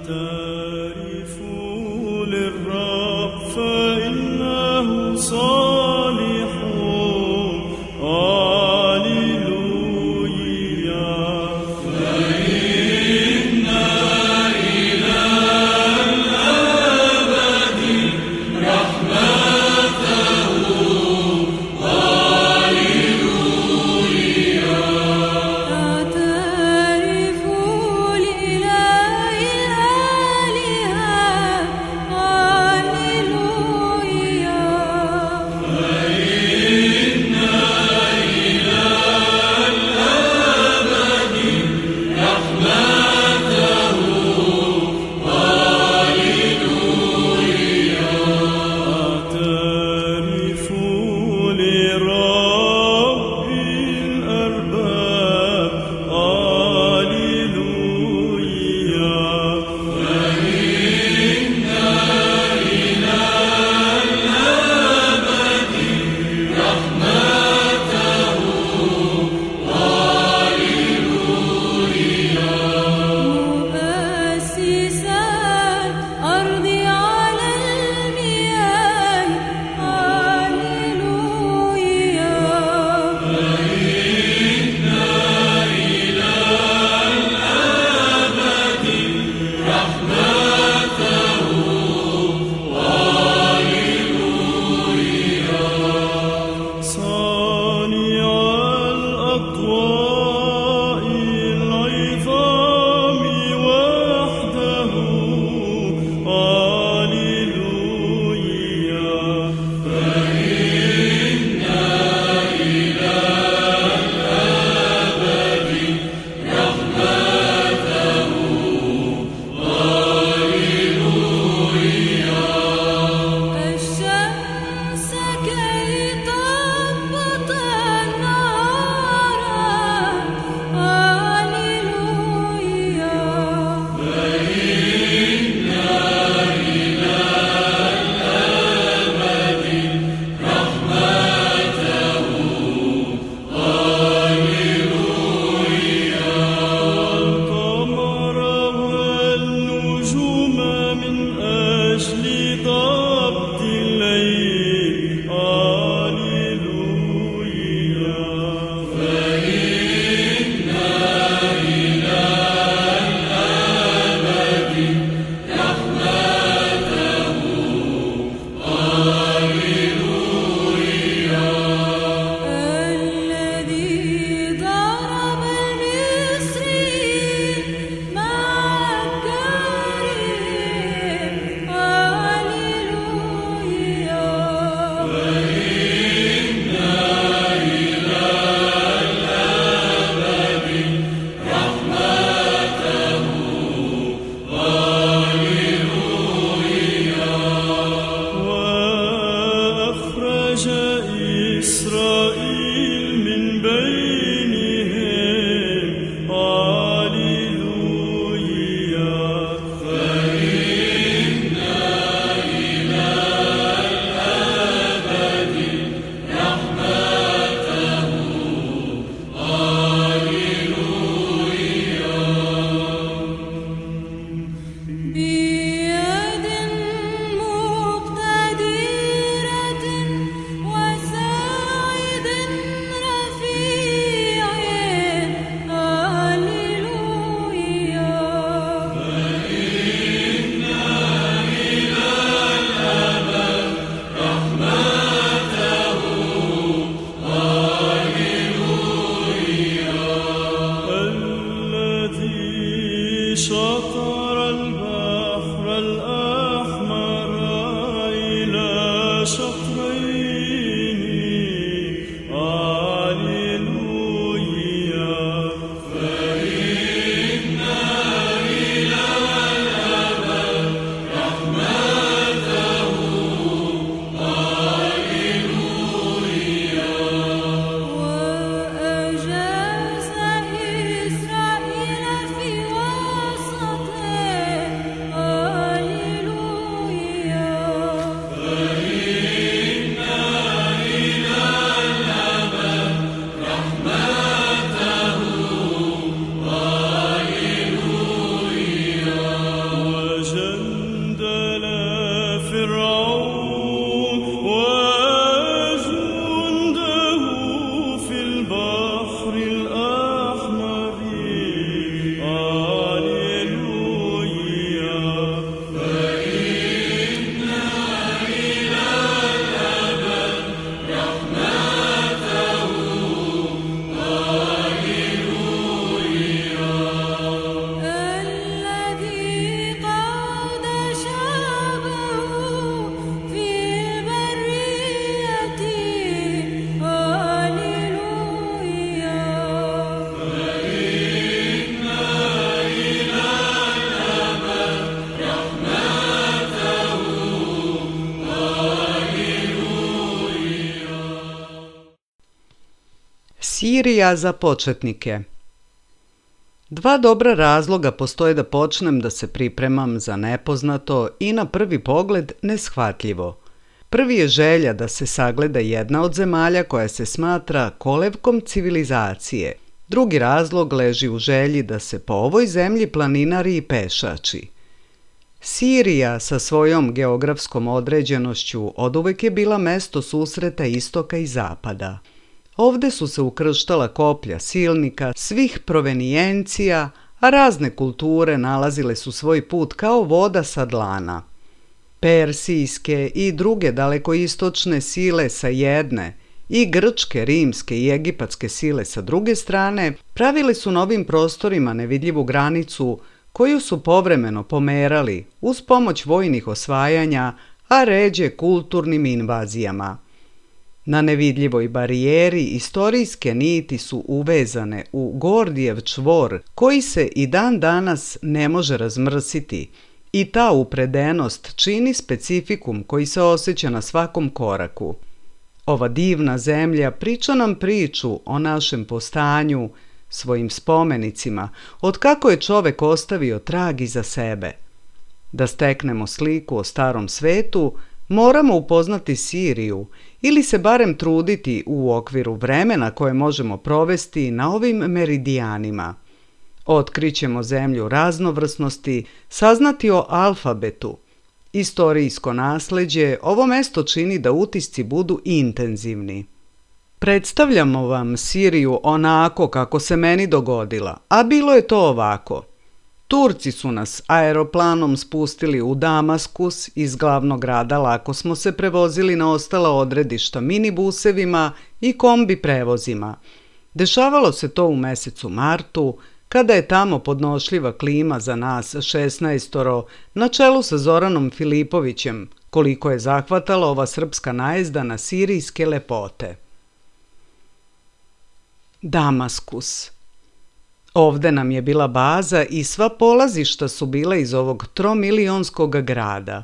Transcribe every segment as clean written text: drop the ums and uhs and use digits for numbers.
اعترفوا للرب فإنه صالح. هاليلويا. فإن إلى الأبد رحمته. هاليلويا. اعترفوا لإله الآلهة. هاليلويا. فإن إلى الأبد رحمته. هاليلويا. اعترفوا لرب الأرباب. هاليلويا. فإن إلى الأبد رحمته. هاليلويا. مؤسسا الأرض على المياه. هاليلويا. فإن إلى الأبد رحمته. هاليلويا. صانع الأضواء العظام وحده. هاليلويا. فإن إلى الأبد رحمته. هاليلويا. الشمس كي تضبط النهار. هاليلويا. فإن إلى الأبد رحمته. هاليلويا. القمر والنجوم من أجل ضبط الليل. هاليلويا. فإن إلى الأبد رحمته. هاليلويا. الذي ضرب المصريين مع الكريم. هاليلويا. فإن إلى الأبد رحمته. هاليلويا. وأخرج إسرائيل من بينهم. هاليلويا. فإن إلى الأبد رحمته. هاليلويا. بيد مقتدرة وساعد رفيع. هاليلويا. فإن إلى الأبد رحمته. هاليلويا. الذي شطر البحر الأحمر إلى شطرين. هاليلويا. فإن إلى الأبد رحمته. هاليلويا. وأجاز إسرائيل في وسط Sirija za početnike. Dva dobra razloga postoje da počnem da se pripremam za nepoznato i na prvi pogled neshvatljivo. Prvi je želja da se sagleda jedna od zemalja koja se smatra kolevkom civilizacije. Drugi razlog leži u želji da se po ovoj zemlji planinari i pešači. Sirija sa svojom geografskom određenošću oduvek je bila mesto susreta istoka i zapada. Ovde su se ukrštala koplja silnika svih provenijencija, a razne kulture nalazile su svoj put kao voda sa dlana. Persijske i druge dalekoistočne sile sa jedne i grčke, rimske i egipatske sile sa druge strane pravile su na ovim prostorima nevidljivu granicu koju su povremeno pomerali uz pomoć vojnih osvajanja, a ređe kulturnim invazijama. Na nevidljivoj barijeri istorijske niti su uvezane u Gordijev čvor koji se i dan danas ne može razmrsiti i ta upredenost čini specifikum koji se osjeća na svakom koraku. Ova divna zemlja priča nam priču o našem postanju, svojim spomenicima, od kako je čovek ostavio trag iza sebe. Da steknemo sliku o starom svetu, moramo upoznati Siriju ili se barem truditi u okviru vremena koje možemo provesti na ovim meridijanima. Otkrićemo zemlju raznovrsnosti, saznati o alfabetu. Istorijsko nasleđe ovo mesto čini da utisci budu intenzivni. Predstavljamo vam Siriju onako kako se meni dogodila, a bilo je to ovako. Turci su nas aeroplanom spustili u Damaskus, iz glavnog grada lako smo se prevozili na ostala odredišta minibusevima i kombi prevozima. Dešavalo se to u mesecu martu, kada je tamo podnošljiva klima za nas 16 na čelu sa Zoranom Filipovićem, koliko je zahvatala ova srpska najezda na sirijske lepote. Damaskus. Ovde nam je bila baza i sva polazišta su bila iz ovog 3-milionskog grada.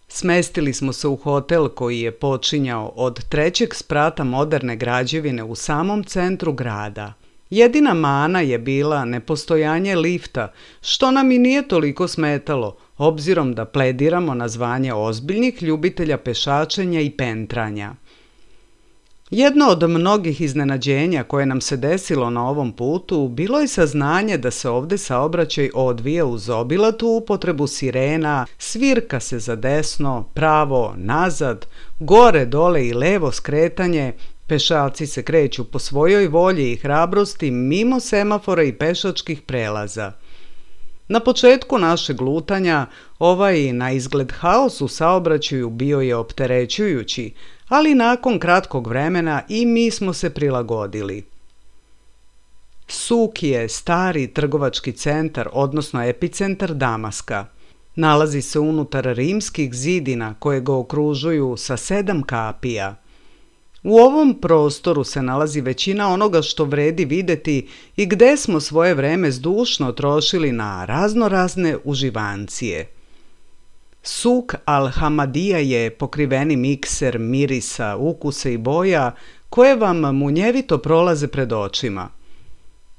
Smestili smo se u hotel koji je počinjao od 3. sprata moderne građevine u samom centru grada. Jedina mana je bila nepostojanje lifta, što nam i nije toliko smetalo, obzirom da plediramo na zvanje ozbiljnih ljubitelja pešačenja i pentranja. Jedno od mnogih iznenađenja koje nam se desilo na ovom putu bilo je saznanje da se ovde saobraćaj odvija uz obilatu upotrebu sirena, svirka se za desno, pravo, nazad, gore, dole i levo skretanje, pešaci se kreću po svojoj volji i hrabrosti mimo semafora i pešačkih prelaza. Na početku našeg lutanja ovaj na izgled haos u saobraćaju bio je opterećujući, ali nakon kratkog vremena i mi smo se prilagodili. Suk je stari trgovački centar, odnosno epicentar Damaska. Nalazi se unutar rimskih zidina koje ga okružuju sa 7 kapija. U ovom prostoru se nalazi većina onoga što vredi videti i gde smo svoje vreme zdušno trošili na raznorazne uživancije. Suk al-Hamadija je pokriveni mikser mirisa, ukusa i boja koje vam munjevito prolaze pred očima.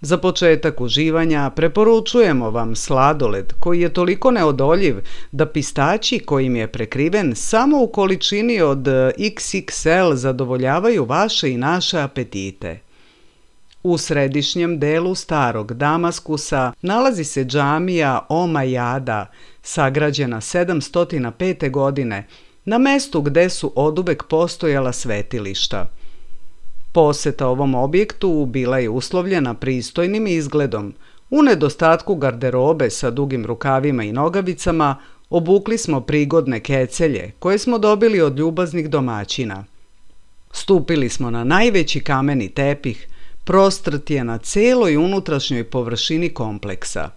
Za početak uživanja preporučujemo vam sladoled koji je toliko neodoljiv da pistaći kojim je prekriven samo u količini od XXL zadovoljavaju vaše i naše apetite. U središnjem delu starog Damaskusa nalazi se džamija Omajada, sagrađena 705. godine, na mestu gde su oduvek postojala svetilišta. Poseta ovom objektu bila je uslovljena pristojnim izgledom. U nedostatku garderobe sa dugim rukavima i nogavicama obukli smo prigodne kecelje koje smo dobili od ljubaznih domaćina. Stupili smo na najveći kameni tepih, prostrt je na celoj unutrašnjoj površini kompleksa.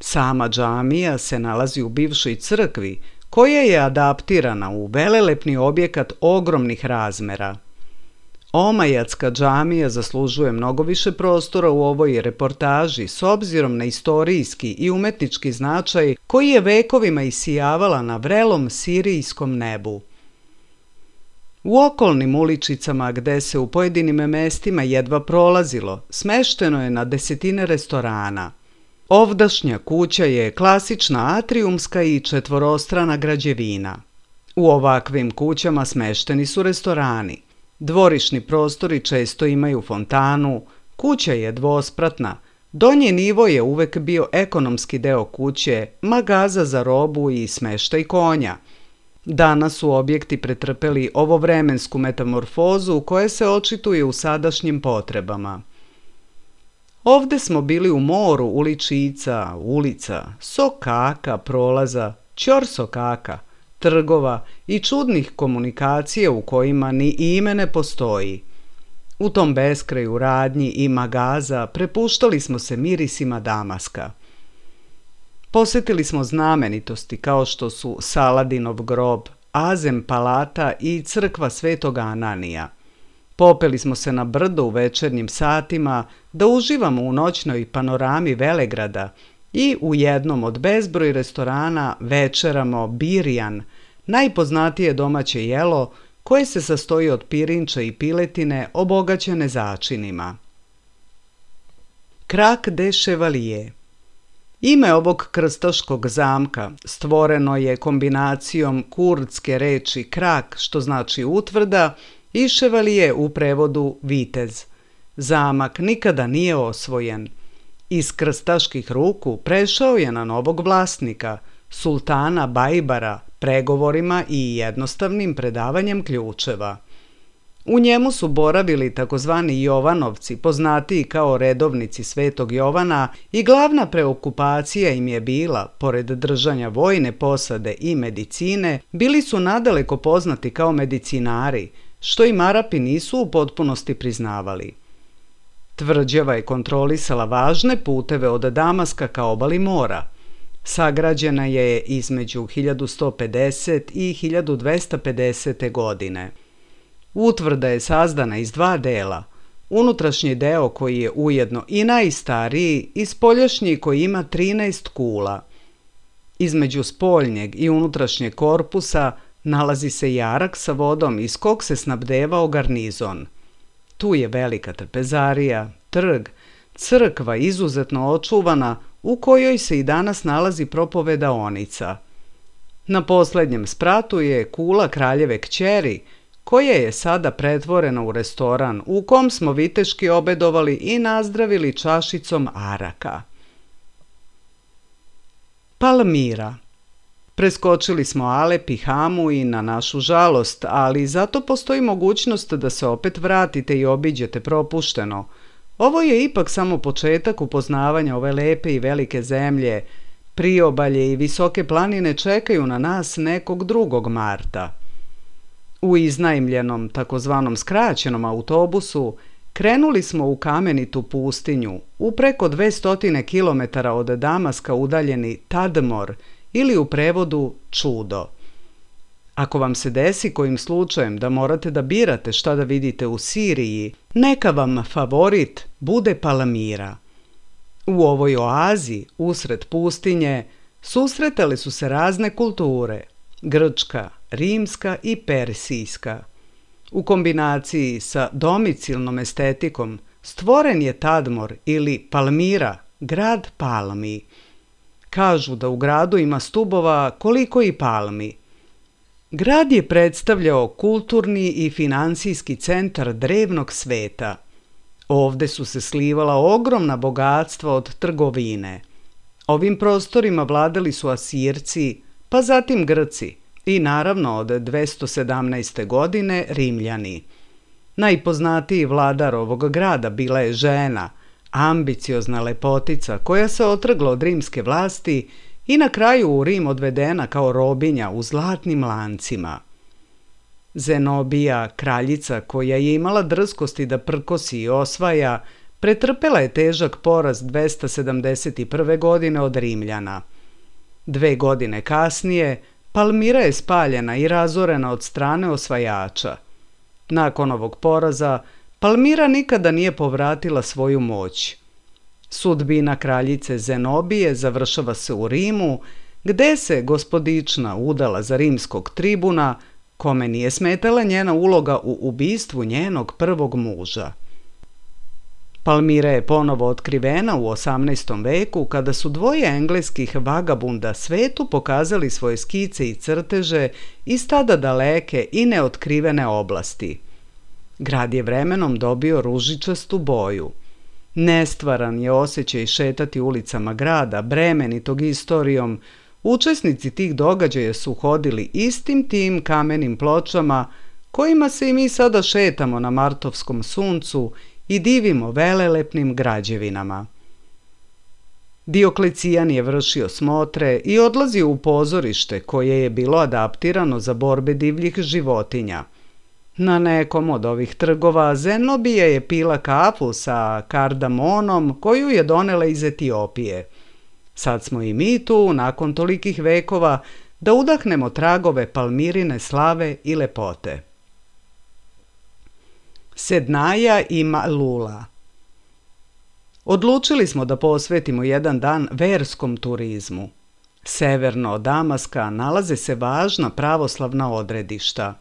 Sama džamija se nalazi u bivšoj crkvi, koja je adaptirana u velelepni objekat ogromnih razmera. Omajatska džamija zaslužuje mnogo više prostora u ovoj reportaži s obzirom na istorijski i umetnički značaj koji je vekovima isijavala na vrelom sirijskom nebu. U okolnim uličicama gde se u pojedinim mestima jedva prolazilo, smešteno je na desetine restorana. Ovdašnja kuća je klasična atrijumska i četvorostrana građevina. U ovakvim kućama smešteni su restorani. Dvorišni prostori često imaju fontanu, kuća je dvospratna, donji nivo je uvek bio ekonomski deo kuće, magaza za robu i smeštaj konja. Danas su objekti pretrpeli ovovremensku metamorfozu koja se očituje u sadašnjim potrebama. Ovde smo bili u moru uličica, ulica, sokaka, prolaza, ćorsokaka, trgova i čudnih komunikacija u kojima ni ime ne postoji. U tom beskraju radnji i magaza prepuštali smo se mirisima Damaska. Posetili smo znamenitosti kao što su Saladinov grob, Azem palata i crkva Svetog Ananija. Popeli smo se na brdo u večernjim satima da uživamo u noćnoj panorami Velegrada i u jednom od bezbroj restorana večeramo birjan, najpoznatije domaće jelo koje se sastoji od pirinča i piletine obogaćene začinima. Krak de Chevalier. Ime ovog krstaškog zamka stvoreno je kombinacijom kurdske reči krak, što znači utvrda, i Chevalier u prevodu vitez. Zamak nikada nije osvojen. Iz krstaških ruku prešao je na novog vlasnika, sultana Bajbara, pregovorima i jednostavnim predavanjem ključeva. U njemu su boravili takozvani Jovanovci, poznatiji kao redovnici Svetog Jovana, i glavna preokupacija im je bila, pored držanja vojne posade i medicine, bili su nadaleko poznati kao medicinari, što im Arapi nisu u potpunosti priznavali. Tvrđava je kontrolisala važne puteve od Damaska ka obali mora. Sagrađena je između 1150 i 1250. godine. Utvrda je sazdana iz dva dela, unutrašnji deo koji je ujedno i najstariji i spoljašnji koji ima 13 kula. Između spoljnjeg i unutrašnjeg korpusa nalazi se jarak sa vodom iz kog se snabdevao garnizon. Tu je velika trpezarija, trg, crkva izuzetno očuvana u kojoj se i danas nalazi propovedaonica. Na poslednjem spratu je kula kraljeve kćeri, koja je sada pretvorena u restoran u kom smo viteški obedovali i nazdravili čašicom araka. Palmira. Preskočili smo Alep i Hamu i na našu žalost, ali zato postoji mogućnost da se opet vratite i obiđete propušteno. Ovo je ipak samo početak upoznavanja ove lepe i velike zemlje. Priobalje i visoke planine čekaju na nas nekog 2. marta. U iznajmljenom, takozvanom skraćenom autobusu, krenuli smo u kamenitu pustinju, u preko 200 km od Damaska udaljeni Tadmor, ili u prevodu čudo. Ako vam se desi kojim slučajem da morate da birate šta da vidite u Siriji, neka vam favorit bude Palmira. U ovoj oazi, usred pustinje, susretale su se razne kulture, grčka, rimska i persijska. U kombinaciji sa domicilnom estetikom stvoren je Tadmor ili Palmira, grad palmi. Kažu da u gradu ima stubova koliko i palmi. Grad je predstavljao kulturni i finansijski centar drevnog sveta. Ovde su se slivala ogromna bogatstva od trgovine. Ovim prostorima vladali su Asirci, pa zatim Grci i naravno od 217. godine Rimljani. Najpoznatiji vladar ovog grada bila je žena, ambiciozna lepotica koja se otrgla od rimske vlasti i na kraju u Rim odvedena kao robinja u zlatnim lancima. Zenobija, kraljica koja je imala drskosti da prkosi i osvaja, pretrpela je težak poraz 271. godine od Rimljana. 2 godine kasnije, Palmira je spaljena i razorena od strane osvajača. Nakon ovog poraza, Palmira nikada nije povratila svoju moć. Sudbina kraljice Zenobije završava se u Rimu, gde se gospodična udala za rimskog tribuna, kome nije smetala njena uloga u ubistvu njenog prvog muža. Palmira je ponovo otkrivena u 18. veku kada su dvoje engleskih vagabunda svetu pokazali svoje skice i crteže iz tada daleke i neotkrivene oblasti. Grad je vremenom dobio ružičastu boju. Nestvaran je osjećaj šetati ulicama grada, bremenitog istorijom. Učesnici tih događaja su hodili istim tim kamenim pločama kojima se i mi sada šetamo na martovskom suncu i divimo velelepnim građevinama. Dioklecijan je vršio smotre i odlazio u pozorište koje je bilo adaptirano za borbe divljih životinja. Na nekom od ovih trgova Zenobija je pila kafu sa kardamonom koju je donela iz Etiopije. Sad smo i mi tu, nakon tolikih vekova, da udahnemo tragove Palmirine slave i lepote. Sednaja i Malula. Odlučili smo da posvetimo jedan dan verskom turizmu. Severno od Damaska nalaze se važna pravoslavna odredišta.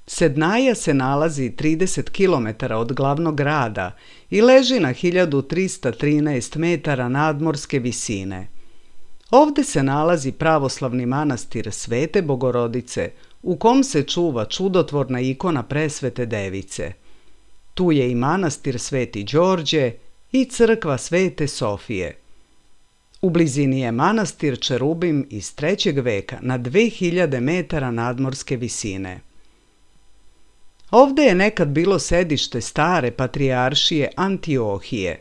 Sednaja se nalazi 30 km od glavnog grada i leži na 1313 metara nadmorske visine. Ovde se nalazi pravoslavni manastir Svete Bogorodice, u kom se čuva čudotvorna ikona Presvete Device. Tu je i manastir Sveti Đorđe i crkva Svete Sofije. U blizini je manastir Čerubim iz 3. veka na 2000 metara nadmorske visine. Ovde je nekad bilo sedište stare patrijaršije Antiohije.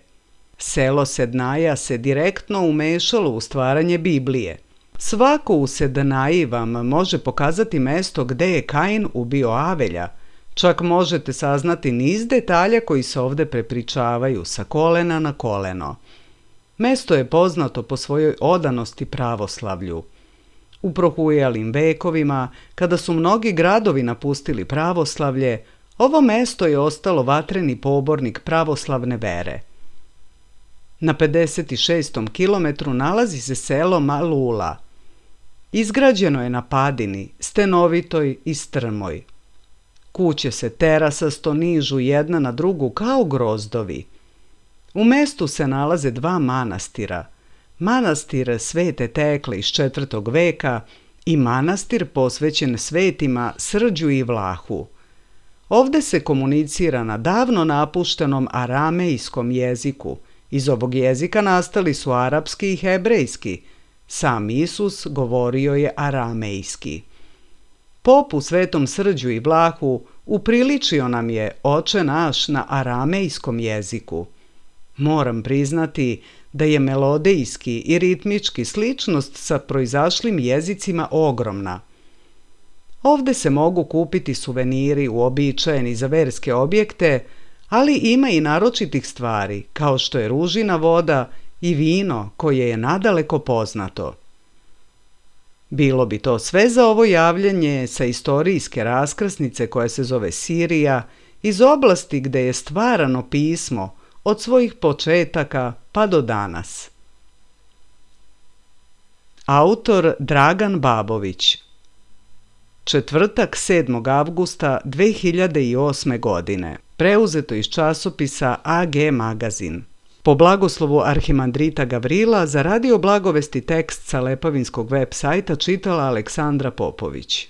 Selo Sednaja se direktno umešalo u stvaranje Biblije. Svako u Sednaji vam može pokazati mesto gde je Kain ubio Avelja. Čak možete saznati niz detalja koji se ovde prepričavaju sa kolena na koleno. Mesto je poznato po svojoj odanosti pravoslavlju. U prohujalim vekovima, kada su mnogi gradovi napustili pravoslavlje, ovo mesto je ostalo vatreni pobornik pravoslavne vere. Na 56. kilometru nalazi se selo Malula. Izgrađeno je na padini, stenovitoj i strmoj. Kuće se terasasto nižu jedna na drugu kao grozdovi. U mestu se nalaze dva manastira. Manastir Svete Tekle iz 4. veka i manastir posvećen svetima Srđu i Vlahu. Ovde se komunicira na davno napuštenom aramejskom jeziku. Iz ovog jezika nastali su arapski i hebrejski. Sam Isus govorio je aramejski. Pop u Svetom Srđu i Vlahu upriličio nam je Oče naš na aramejskom jeziku. Moram priznati da je melodijski i ritmički sličnost sa proizašlim jezicima ogromna. Ovde se mogu kupiti suveniri uobičajeni za verske objekte, ali ima i naročitih stvari, kao što je ružina voda i vino koje je nadaleko poznato. Bilo bi to sve za ovo javljanje sa istorijske raskrsnice koja se zove Sirija, iz oblasti gde je stvarano pismo od svojih početaka pa do danas. Autor Dragan Babović. Četvrtak 7. avgusta 2008. godine. Preuzeto iz časopisa AG Magazin. Po blagoslovu arhimandrita Gavrila za Radio Blagovesti tekst sa Lepavinskog web sajta čitala Aleksandra Popović.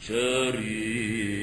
شريك